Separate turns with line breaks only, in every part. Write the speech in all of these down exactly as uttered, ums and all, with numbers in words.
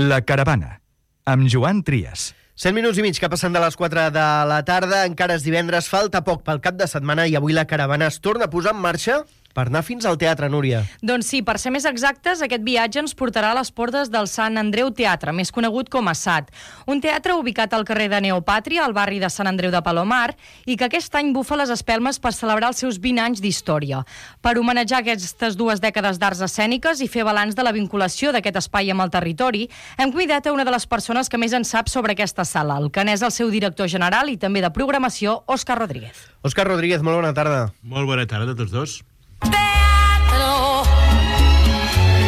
La Caravana, amb Joan Trias.
cent minuts i mig que passen de les quatre de la tarda, encara és divendres, falta poc pel cap de setmana i avui la caravana es torna a posar en marxa per anar fins al teatre, Núria.
Doncs sí, per ser més exactes, aquest viatge ens portarà a les portes del Sant Andreu Teatre, més conegut com a S A T. Un teatre ubicat al carrer de Neopàtria, al barri de Sant Andreu de Palomar, i que aquest any bufa les espelmes per celebrar els seus vint anys d'història. Per homenatjar aquestes dues dècades d'arts escèniques i fer balanç de la vinculació d'aquest espai amb el territori, hem convidat a una de les persones que més en sap sobre aquesta sala, el que n'és el seu director general i també de programació, Òscar Rodríguez.
Òscar Rodríguez, molt bona tarda.
Molt bona tarda a tots dos.
Teatro,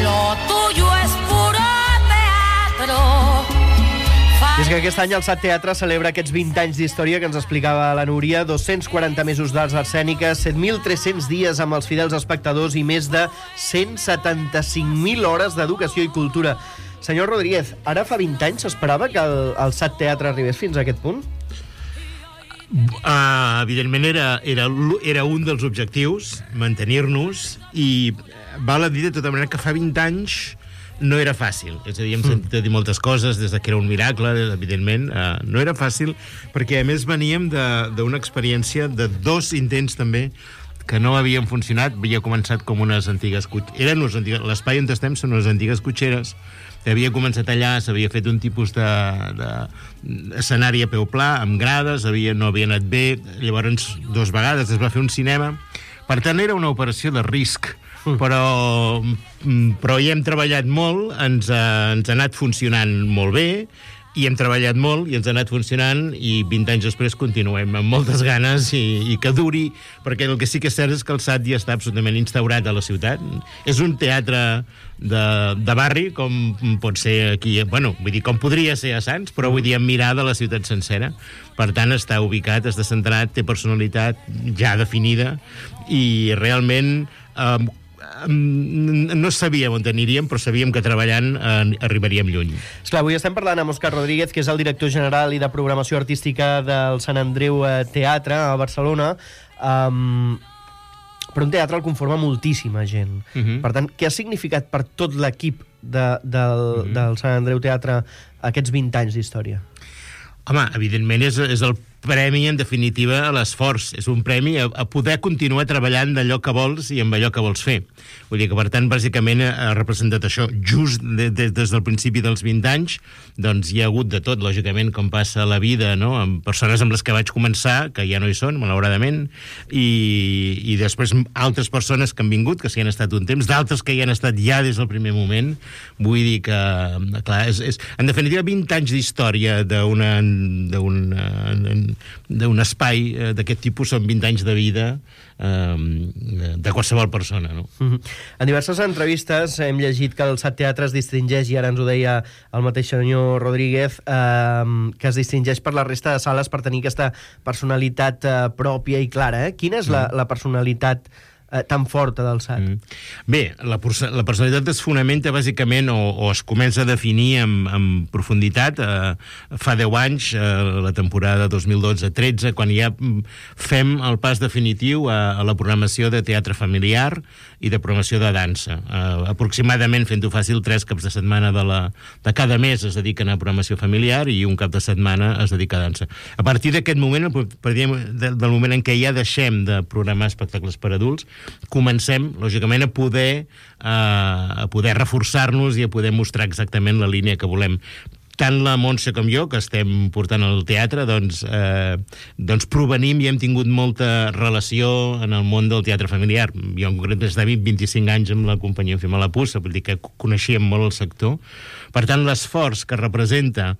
lo tuyo es puro teatro.
I és que aquest any el S A T Teatre celebra aquests vint anys d'història que ens explicava la Núria, dos-cents quaranta mesos d'arts escèniques, set mil tres-cents dies amb els fidels espectadors i més de cent setanta-cinc mil hores d'educació i cultura. Senyor Rodríguez, ara fa vint anys s'esperava que el, el S A T Teatre arribés fins a aquest punt?
Uh, evidentment era, era, era un dels objectius, mantenir-nos, i val a dir de tota manera que fa vint anys no era fàcil. És a dir, hem sentit a dir moltes coses des que era un miracle, evidentment. Uh, no era fàcil, perquè a més veníem d'una experiència de dos intents també que no havien funcionat. Havia començat com unes antigues cotxeres. L'espai on estem són unes antigues cotxeres. Havia començat allà, s'havia fet un tipus de, de escenari a peu pla, amb grades, havia, no havia anat bé, llavors dues vegades es va fer un cinema. Per tant, era una operació de risc, però, però hi hem treballat molt, ens ha, ens ha anat funcionant molt bé, i hem treballat molt i ens ha anat funcionant, i vint anys després continuem amb moltes ganes i, i que duri, perquè el que sí que és cert és que el S A T ja està absolutament instaurat a la ciutat. És un teatre de, de barri, com pot ser aquí, bueno, vull dir, com podria ser a Sants, però vull dir, amb mirada a la ciutat sencera. Per tant, està ubicat, està centrat, té personalitat ja definida, i realment eh, no sabíem on aniríem, però sabíem que treballant eh, arribaríem lluny.
Esclar, avui estem parlant amb Òscar Rodríguez, que és el director general i de programació artística del Sant Andreu Teatre a Barcelona. Um, però un teatre el conforma moltíssima gent. Uh-huh. Per tant, què ha significat per tot l'equip de, del, uh-huh. del Sant Andreu Teatre aquests vint anys d'història?
Home, evidentment és, és el premi, en definitiva, a l'esforç. És un premi a, a poder continuar treballant d'allò que vols i amb allò que vols fer. Vull dir que, per tant, bàsicament ha representat això. Just de, de, des del principi dels vint anys, doncs hi ha hagut de tot, lògicament, com passa la vida, no?, amb persones amb les que vaig començar, que ja no hi són, malauradament, i, i després altres persones que han vingut, que s'hi han estat un temps, d'altres que hi han estat ja des del primer moment. Vull dir que, clar, és, és, en definitiva, vint anys d'història d'una d'un espai d'aquest tipus són vint anys de vida eh, de qualsevol persona, no?
Mm-hmm. En diverses entrevistes hem llegit que el S A T Teatre es distingeix, i ara ens ho deia el mateix senyor Rodríguez, eh, que es distingeix per la resta de sales per tenir aquesta personalitat eh, pròpia i clara. Eh? Quina és la, la personalitat eh, tan forta del S A T?
Mm. Bé, la, la personalitat es fonamenta bàsicament o, o es comença a definir amb, amb profunditat eh, fa deu anys, eh, la temporada dos mil dotze tretze, quan ja fem el pas definitiu a, a la programació de teatre familiar i de programació de dansa. Eh, aproximadament, fent-ho fàcil, tres caps de setmana de, la, de cada mes es dediquen a programació familiar i un cap de setmana es dedica a dansa. A partir d'aquest moment, del moment en què ja deixem de programar espectacles per adults, comencem, lògicament, a poder, eh, a poder reforçar-nos i a poder mostrar exactament la línia que volem. Tant la Montse com jo, que estem portant al teatre, doncs, eh, doncs provenim i hem tingut molta relació en el món del teatre familiar. Jo, en concret, des de vint-i-cinc anys amb la companyia Fem a la Puça, vull dir que coneixíem molt el sector. Per tant, l'esforç que representa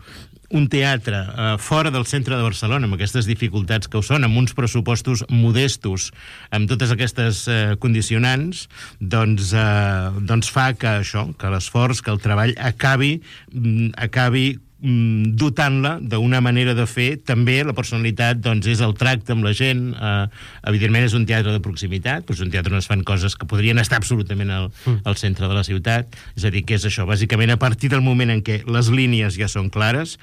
un teatre eh, fora del centre de Barcelona, amb aquestes dificultats que ho són, amb uns pressupostos modestos, amb totes aquestes eh, condicionants, doncs, eh, doncs fa que això, que l'esforç, que el treball acabi, mm, acabi mm, dotant-la d'una manera de fer. També la personalitat, doncs, és el tracte amb la gent. Eh, evidentment és un teatre de proximitat, però és un teatre on es fan coses que podrien estar absolutament al, al centre de la ciutat. És a dir, que és això, bàsicament a partir del moment en què les línies ja són clares,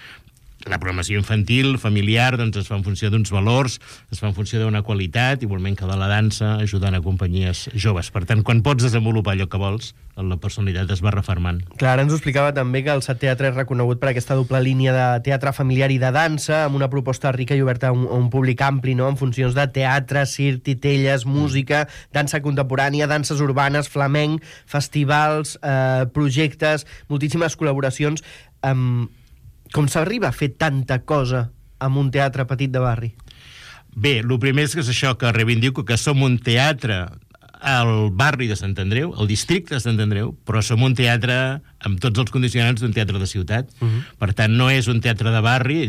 la programació infantil, familiar, doncs es fa en funció d'uns valors, es fa en funció d'una qualitat, igualment que de la dansa, ajudant a companyies joves. Per tant, quan pots desenvolupar allò que vols, la personalitat es va refermant.
Clar, ara ens ho explicava també que el Sat Teatre és reconegut per aquesta doble línia de teatre familiar i de dansa, amb una proposta rica i oberta a un, a un públic ampli, no?, en funcions de teatre, circ, titelles, música, dansa contemporània, danses urbanes, flamenc, festivals, eh, projectes, moltíssimes col·laboracions. Um, com s'arriba a fer tanta cosa amb un teatre petit de barri?
Bé, el primer és que és això, que reivindico que som un teatre al barri de Sant Andreu, al districte de Sant Andreu, però som un teatre amb tots els condicionants d'un teatre de ciutat. Uh-huh. Per tant, no és un teatre de barri,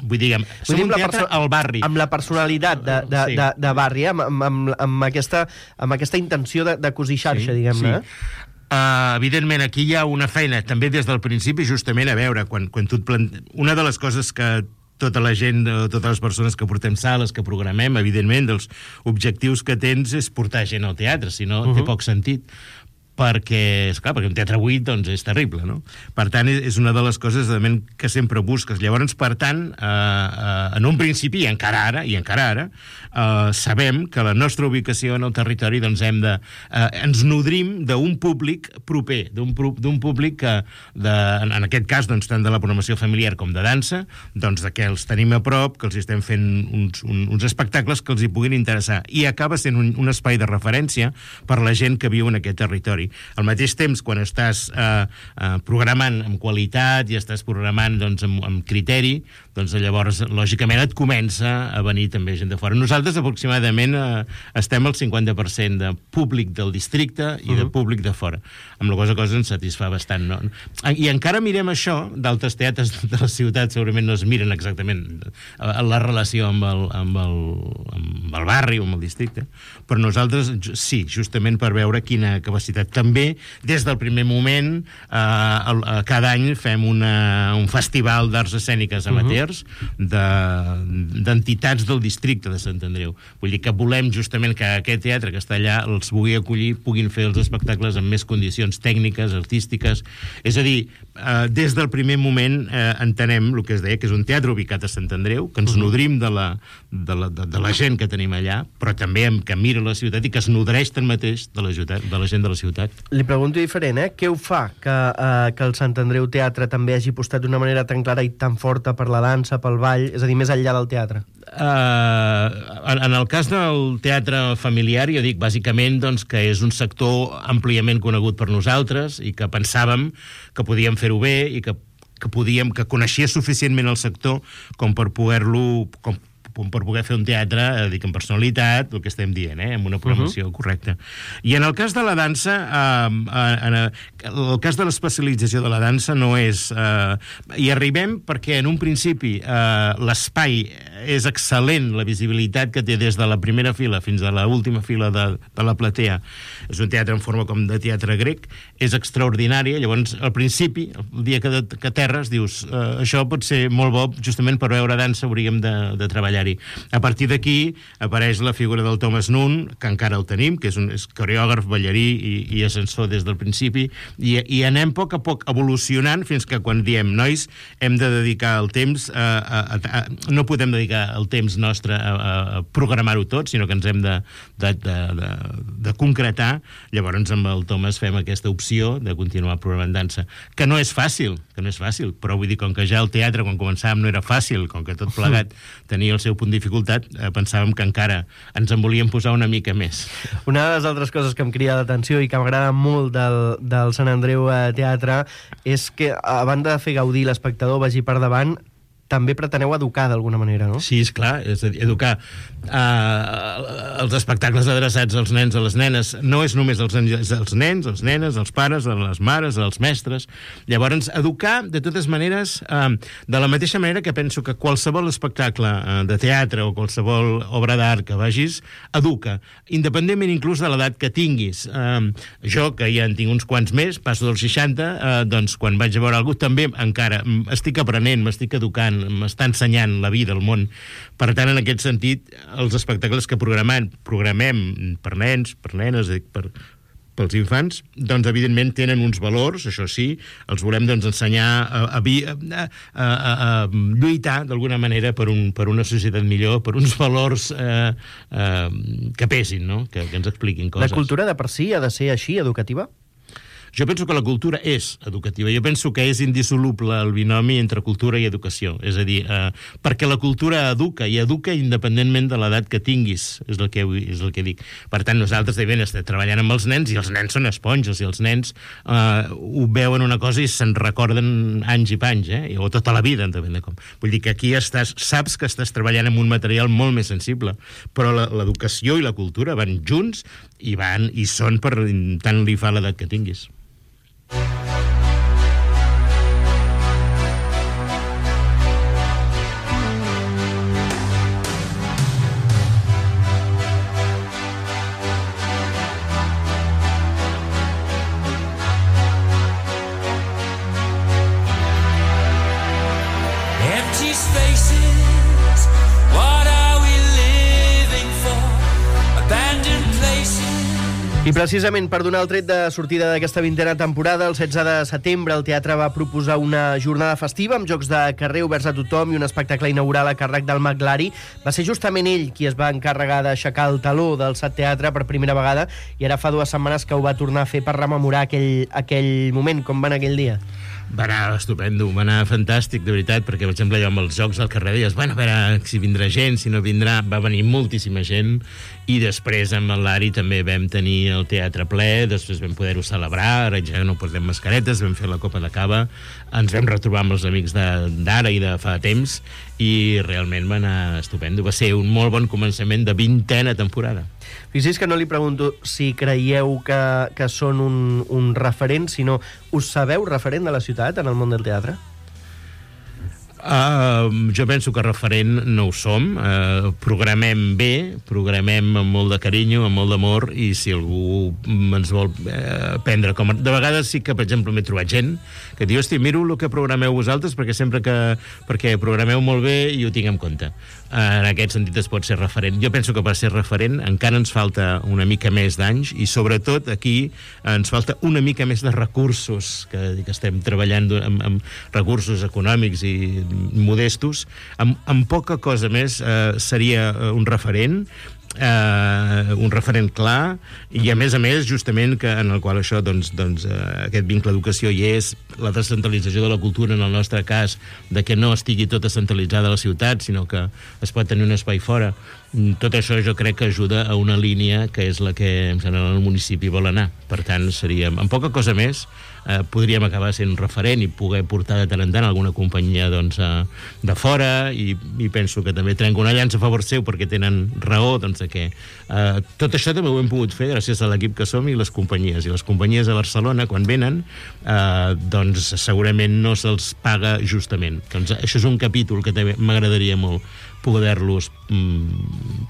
vull dir, som un teatre al barri.
Amb la personalitat de, de, sí. de, de barri, amb, amb, amb, aquesta, amb aquesta intenció de, de cosir xarxa, sí, diguem-ne.
Sí. Uh, evidentment, aquí hi ha una feina, també des del principi, justament a veure, quan, quan tu et plante... Una de les coses que tota la gent, totes les persones que portem sales, que programem, evidentment, dels objectius que tens és portar gent al teatre, si no uh-huh. té poc sentit. Perquè, esclar, perquè un teatre buit doncs, és terrible, no? Per tant, és una de les coses que sempre busques. Llavors, per tant, eh, eh, en un principi, i encara ara, i encara ara, eh, sabem que la nostra ubicació en el territori doncs, hem de, eh, ens nodrim d'un públic proper, d'un públic que, de, en, en aquest cas, doncs, tant de la programació familiar com de dansa, doncs, de que els tenim a prop, que els estem fent uns, un, uns espectacles que els hi puguin interessar. I acaba sent un, un espai de referència per la gent que viu en aquest territori. Al mateix temps, quan estàs eh, eh, programant amb qualitat i estàs programant doncs, amb, amb criteri, doncs llavors, lògicament, et comença a venir també gent de fora. Nosaltres, aproximadament, eh, estem al cinquanta per cent de públic del districte i uh-huh. de públic de fora. Amb la cosa cosa ens satisfà bastant. No? I encara mirem això, d'altres teatres de la ciutat segurament no es miren exactament la relació amb el, amb el, amb el barri o amb el districte, però nosaltres sí, justament per veure quina capacitat. També, des del primer moment, eh, cada any fem una, un festival d'arts escèniques amateurs uh-huh. d'entitats de, del districte de Sant Andreu. Vull dir que volem justament que aquest teatre que està allà els pugui acollir, puguin fer els espectacles amb més condicions tècniques, artístiques. És a dir, eh, des del primer moment eh, entenem el que es deia, que és un teatre ubicat a Sant Andreu, que ens uh-huh. nodrim de la, de, la, de, de la gent que tenim allà, però també que mira la ciutat i que es nodreix tanmateix de la, ciutat, de la gent de la ciutat.
Li pregunto diferent, eh? Què ho fa que, eh, que el Sant Andreu Teatre també hagi apostat d'una manera tan clara i tan forta per la dansa, pel ball, és a dir, més enllà del teatre?
Uh, en, en el cas del teatre familiar, jo dic, bàsicament, doncs, que és un sector àmpliament conegut per nosaltres i que pensàvem que podíem fer-ho bé i que, que podíem, que coneixia suficientment el sector com per poder-lo... Com, per poder fer un teatre, eh, dic, amb personalitat, el que estem dient, eh, amb una programació uh-huh. correcta. I en el cas de la dansa, eh, en el cas de l'especialització de la dansa no és... Eh, hi arribem perquè en un principi eh, l'espai és excel·lent, la visibilitat que té des de la primera fila fins a l'última fila de, de la platea. És un teatre en forma com de teatre grec, és extraordinària, llavors al principi, el dia que, de, que aterres, dius, eh, això pot ser molt bo, justament per veure dansa hauríem de, de treballar. A partir d'aquí apareix la figura del Thomas Nunn, que encara el tenim, que és un és coreògraf, ballarí i, i ascensor des del principi, i, i anem a poc a poc evolucionant fins que quan diem, nois, hem de dedicar el temps, a, a, a, a, no podem dedicar el temps nostre a, a programar-ho tot, sinó que ens hem de, de, de, de, de concretar. Llavors amb el Thomas fem aquesta opció de continuar programant dansa, que no és fàcil, que no és fàcil, però vull dir, com que ja el teatre, quan començàvem, no era fàcil, com que tot plegat tenia el seu punt de dificultat, eh, pensàvem que encara ens en volíem posar una mica més.
Una de les altres coses que em crida l'atenció i que m'agrada molt del, del Sant Andreu eh, Teatre és que, a banda de fer gaudir l'espectador, vagi per davant, també preteneu educar d'alguna manera, no?
Sí, esclar, és a dir, educar. Uh, els espectacles adreçats als nens i a les nenes no és només els, els nens, els nenes, els pares, les mares, els mestres. Llavors, educar, de totes maneres, uh, de la mateixa manera que penso que qualsevol espectacle uh, de teatre o qualsevol obra d'art que vagis, educa, independentment inclús de l'edat que tinguis. Uh, jo, que ja en tinc uns quants més, passo dels seixanta, uh, doncs quan vaig a veure algú també encara estic aprenent, m'estic educant, m'està ensenyant la vida, el món. Per tant, en aquest sentit, els espectacles que programem, programem per nens, per nenes, per, pels infants, doncs evidentment tenen uns valors, això sí, els volem doncs ensenyar a, a, a, a, a, a lluitar d'alguna manera per, un, per una societat millor, per uns valors eh, eh, que pesin, no? que, que ens expliquin coses.
La cultura de per si ha de ser així, educativa?
Jo penso que la cultura és educativa. Jo penso que és indissoluble el binomi entre cultura i educació. És a dir, eh, perquè la cultura educa, i educa independentment de l'edat que tinguis, és el que, és el que dic. Per tant, nosaltres devem estar treballant amb els nens, i els nens són esponges, i els nens eh, ho veuen una cosa i se'n recorden anys i panys, eh? o tota la vida, depèn de com. Vull dir que aquí estàs, saps que estàs treballant amb un material molt més sensible, però l'educació i la cultura van junts i van i són per tant li fa l'edat que tinguis.
Empty spaces, what are we living for? Abandoned places.
I precisament per donar el tret de sortida d'aquesta vintena temporada, el setze de setembre el teatre va proposar una jornada festiva amb jocs de carrer oberts a tothom i un espectacle inaugural a càrrec del Maglari. Va ser justament ell qui es va encarregar d'aixecar el taló del Sat Teatre per primera vegada, i ara fa dues setmanes que ho va tornar a fer per rememorar aquell, aquell moment. Com va anar aquell dia?
Va anar estupendo, va anar fantàstic, de veritat, perquè, per exemple, allò amb els jocs al carrer deies, bueno, a veure si vindrà gent, si no vindrà, va venir moltíssima gent, i després amb el Lari també vam tenir el teatre ple, després vam poder-ho celebrar, ara ja no portem mascaretes, vam fer la copa de cava, ens vam retrobar amb els amics d'ara i de fa temps, i realment va anar estupendo. Va ser un molt bon començament de vintena temporada.
Fixi's que no li pregunto si creieu que, que són un, un referent, sinó us sabeu referent de la ciutat en el món del teatre?
Uh, jo penso que referent no ho som. Uh, programem bé, programem amb molt de carinyo, amb molt d'amor, i si algú ens vol uh, prendre com... De vegades sí que, per exemple, m'he trobat gent que diu, hosti, miro el que programeu vosaltres perquè sempre que... perquè programeu molt bé i ho tinc en compte. Uh, en aquest sentit es pot ser referent. Jo penso que per ser referent encara ens falta una mica més d'anys, i sobretot aquí ens falta una mica més de recursos, que, que estem treballant amb, amb recursos econòmics i modestos. Amb, amb poca cosa més eh, seria un referent, eh, un referent clar, i a més a més justament que en el qual això doncs, doncs, eh, aquest vincle d'educació hi és, la descentralització de la cultura en el nostre cas, de que no estigui tota centralitzada a la ciutat, sinó que es pot tenir un espai fora. Tot això jo crec que ajuda a una línia que és la que em sembla el municipi vol anar. Per tant, seríem, amb poca cosa més, eh, podríem acabar sent un referent i poder portar de tant en tant alguna companyia doncs, eh, de fora, i, i penso que també trenco una llança a favor seu perquè tenen raó, doncs, de que eh, tot això també ho hem pogut fer gràcies a l'equip que som i les companyies. I les companyies a Barcelona, quan venen, eh, doncs segurament no se'ls paga justament. Doncs això és un capítol que també m'agradaria molt poder-los mm,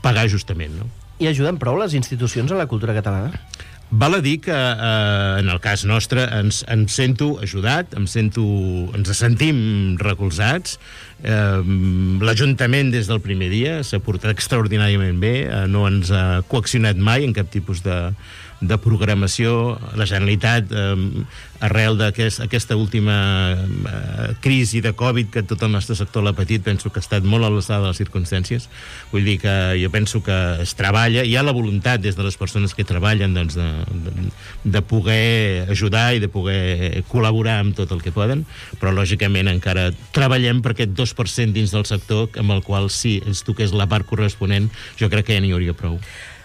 pagar justament, no?
I ajuden prou les institucions a la cultura catalana?
Val a dir que eh, en el cas nostre ens, ens sento ajudat, em sento, ens sentim recolzats. Eh, L'Ajuntament des del primer dia s'ha portat extraordinàriament bé, eh, no ens ha coaccionat mai en cap tipus de, de programació. La Generalitat, eh, arrel d'aquesta aquest, última eh, crisi de Covid que tot el nostre sector l'ha patit, penso que ha estat molt a l'alçada de les circumstàncies. Vull dir que jo penso que es treballa, hi ha la voluntat des de les persones que treballen doncs, de, de, de poder ajudar i de poder col·laborar amb tot el que poden, però lògicament encara treballem per aquest dos per cent dins del sector amb el qual si ens toqués la part corresponent jo crec que ja n'hi hauria prou.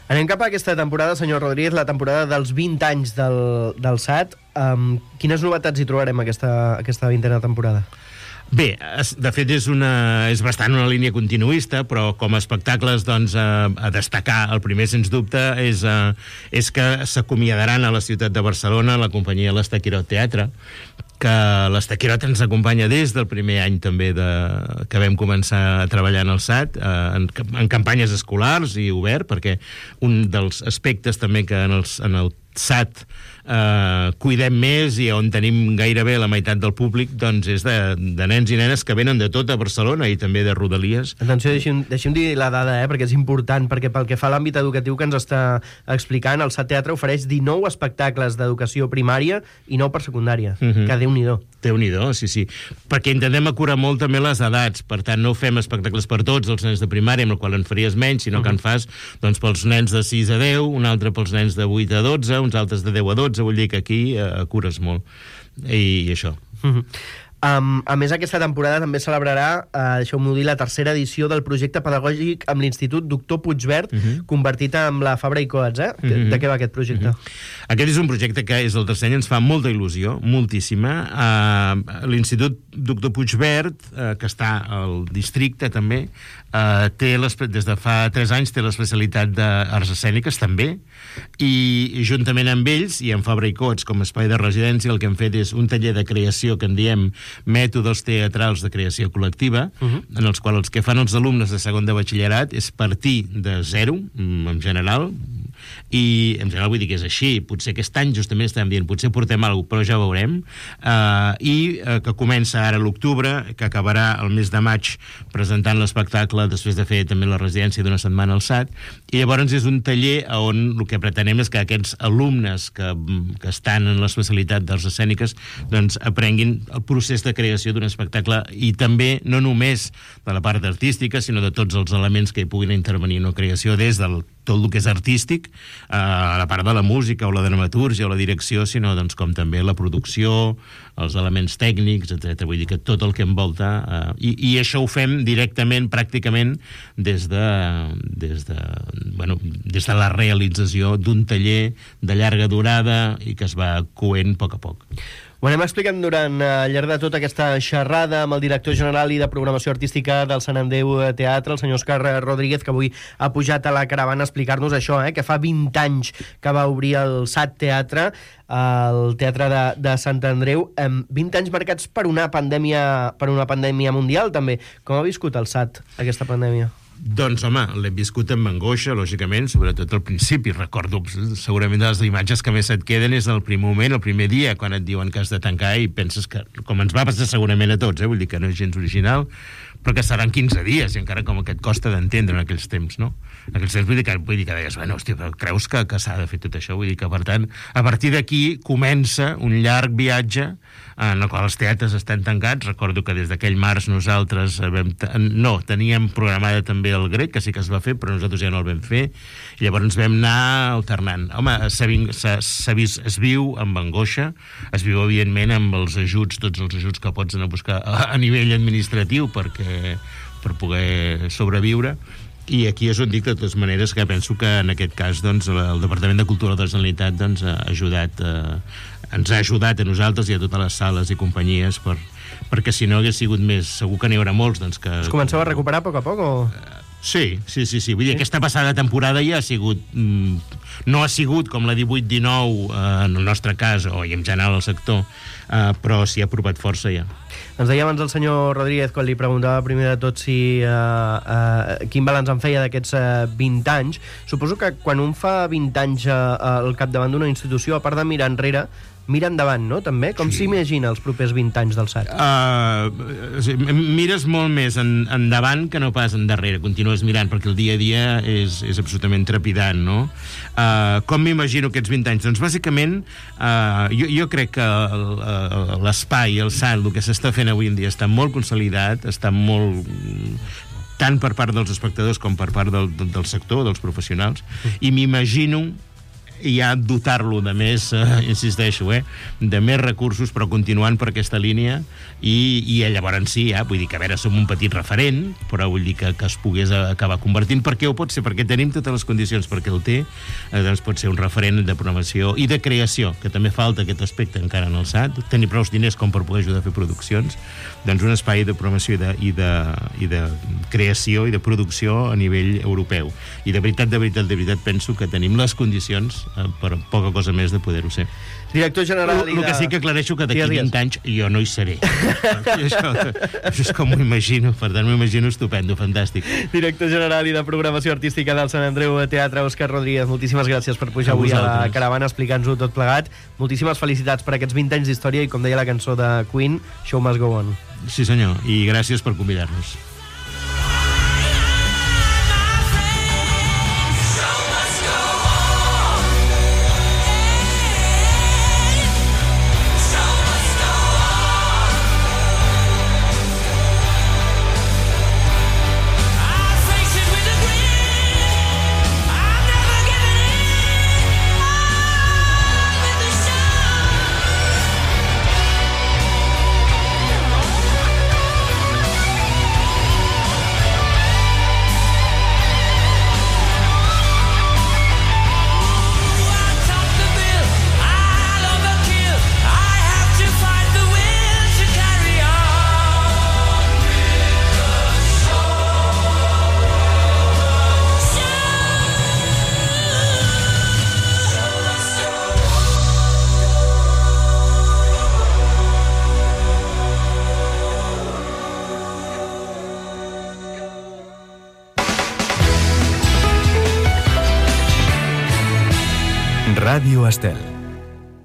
Anem cap a aquesta temporada, senyor Rodríguez, la temporada dels vint anys del, del Sat. Um, quines novetats hi trobarem aquesta, aquesta vintena temporada?
Bé, de fet és, una, és bastant una línia continuista, però com a espectacles doncs, a, a destacar, el primer sens dubte és, a, és que s'acomiadaran a la ciutat de Barcelona la companyia l'Estaquirot Teatre, que l'Estaquirot ens acompanya des del primer any també de, que vam començar a treballar en el Sat, eh, en, en campanyes escolars i obert, perquè un dels aspectes també que en, els, en el SAT eh, cuidem més i on tenim gairebé la meitat del públic, doncs és de, de nens i nenes que venen de tot a Barcelona i també de Rodalies.
Atenció, deixi'm, deixi'm dir la dada, eh, perquè és important, perquè pel que fa a l'àmbit educatiu que ens està explicant, el SAT Teatre ofereix dinou espectacles d'educació primària i nou per secundària, uh-huh. que Déu-n'hi-do.
Déu-n'hi-do, sí, sí. Perquè intentem acurar molt també les edats, per tant no fem espectacles per tots, els nens de primària, amb el qual en faries menys, sinó uh-huh. que en fas doncs, pels nens de sis a deu, un altre pels nens de vuit a dotze, uns altres de deu a dotze, vull dir que aquí eh, cures molt. I, i això.
Uh-huh. Um, a més, aquesta temporada també celebrarà, uh, deixeu-m'ho dir, la tercera edició del projecte pedagògic amb l'Institut Doctor Puigvert, uh-huh. convertit en la Fabra i Coats, eh? Uh-huh. De què va aquest projecte?
Uh-huh. Aquest és un projecte que és el tercer any, ens fa molta il·lusió, moltíssima. Uh, L'Institut Doctor Puigvert, uh, que està al districte també, uh, té des de fa tres anys té l'especialitat d'arts escèniques també, i juntament amb ells i amb Fabra i Coats com a espai de residència el que hem fet és un taller de creació que en diem mètodes teatrals de creació col·lectiva, uh-huh. en els quals els que fan els alumnes de segon de batxillerat és partir de zero, en general, i en general vull dir que és així, potser aquest any justament estem dient, potser portem alguna cosa, però ja veurem, uh, i uh, que comença ara a l'octubre, que acabarà el mes de maig presentant l'espectacle després de fer també la residència d'una setmana al SAT, i llavors és un taller on el que pretenem és que aquests alumnes que, que estan en l'especialitat d'arts escèniques doncs aprenguin el procés de creació d'un espectacle i també no només de la part artística sinó de tots els elements que hi puguin intervenir en la creació des del tot el que és artístic, eh, a la part de la música o la dramatúrgia o la direcció, sinó doncs, com també la producció, els elements tècnics, etcètera. Vull dir que tot el que envolta... Eh, i, I això ho fem directament, pràcticament, des de, des de, bueno, des de la realització d'un taller de llarga durada i que es va coent a poc a poc.
Ho anem explicant durant al llarg de tota aquesta xerrada amb el director general i de programació artística del Sant Andreu Teatre, el senyor Òscar Rodríguez, que avui ha pujat a la caravana a explicar-nos això, eh, que fa vint anys que va obrir el SAT Teatre, el Teatre de, de Sant Andreu, amb vint anys marcats per una pandèmia, per una pandèmia mundial, també. Com ha viscut el SAT aquesta pandèmia?
Doncs, home, l'hem viscut amb angoixa, lògicament, sobretot al principi. Recordo, segurament, de les imatges que més et queden és el primer moment, el primer dia, quan et diuen que has de tancar i penses que, com ens va passar segurament a tots, eh? Vull dir que no és gens original, però que seran quinze dies, i encara com que et costa d'entendre en aquells temps, no? En aquells temps vull dir que, vull dir que deies, bueno, hòstia, però creus que, que s'ha de fer tot això? Vull dir que, per tant, a partir d'aquí comença un llarg viatge en el qual els teatres estan tancats. Recordo que des d'aquell març nosaltres vam no, teníem programada també el grec, que sí que es va fer, però nosaltres ja no el vam fer, i llavors ens vam anar alternant. Home, s'ha, s'ha vist, es viu amb angoixa, es viu evidentment amb els ajuts, tots els ajuts que pots anar a buscar a, a nivell administratiu perquè, per poder sobreviure. I aquí és on dic, de totes maneres, que penso que en aquest cas doncs, el Departament de Cultura de la Generalitat doncs, ha ajudat, eh, ens ha ajudat a nosaltres i a totes les sales i companyies per, perquè si no hagués sigut més, segur que n'hi haurà molts doncs, que...
Es començava a recuperar a poc a poc o...?
Sí, sí, sí, sí. Vull dir, aquesta passada temporada ja ha sigut... Mm, no ha sigut com la divuit dinou eh, en el nostre cas, o en general al sector, eh, però s'hi ha apropat força ja.
Ens deia abans el senyor Rodríguez, quan li preguntava primer de tot si eh, eh, quin balanç en feia d'aquests eh, vint anys. Suposo que quan un fa vint anys eh, al capdavant d'una institució, a part de mirar enrere, mira endavant, no?, també? Com
sí.
S'imagina els propers vint anys del SAT?
Uh, mires molt més en, endavant que no pas endarrere. Continues mirant, perquè el dia a dia és, és absolutament trepidant, no? Uh, com m'imagino aquests vint anys? Doncs, bàsicament, uh, jo, jo crec que l'espai, el SAT, el que s'està fent avui en dia està molt consolidat, està molt... tant per part dels espectadors com per part del, del sector, dels professionals, i m'imagino i ja dotar-lo de més, eh, insisteixo, eh, de més recursos, però continuant per aquesta línia, i, i llavors sí, ja, vull dir que a veure, som un petit referent, però vull dir que, que es pogués acabar convertint, perquè ho pot ser, perquè tenim totes les condicions perquè el té, eh, doncs pot ser un referent de programació i de creació, que també falta aquest aspecte encara en el SAT, tenir prou diners com per poder ajudar a fer produccions, doncs un espai de programació i de, i de, i de creació i de producció a nivell europeu. I de veritat, de veritat, de veritat, penso que tenim les condicions eh, per poca cosa més de poder-ho ser.
Director general...
El, el que sí que aclareixo que d'aquí
Digues, digues.
vint anys jo no hi seré. I això, això és com m'ho imagino, per tant m'ho imagino estupendo, fantàstic.
Director general i de programació artística del Sant Andreu Teatre, Òscar Rodríguez, moltíssimes gràcies per pujar
A
avui a la
vosaltres.
caravana, explicar-nos-ho tot plegat. Moltíssimes felicitats per aquests vint anys d'història i, com deia la cançó de Queen, Show Must Go On.
Sí senyor, i gràcies per convidar-nos.
Ràdio Estel.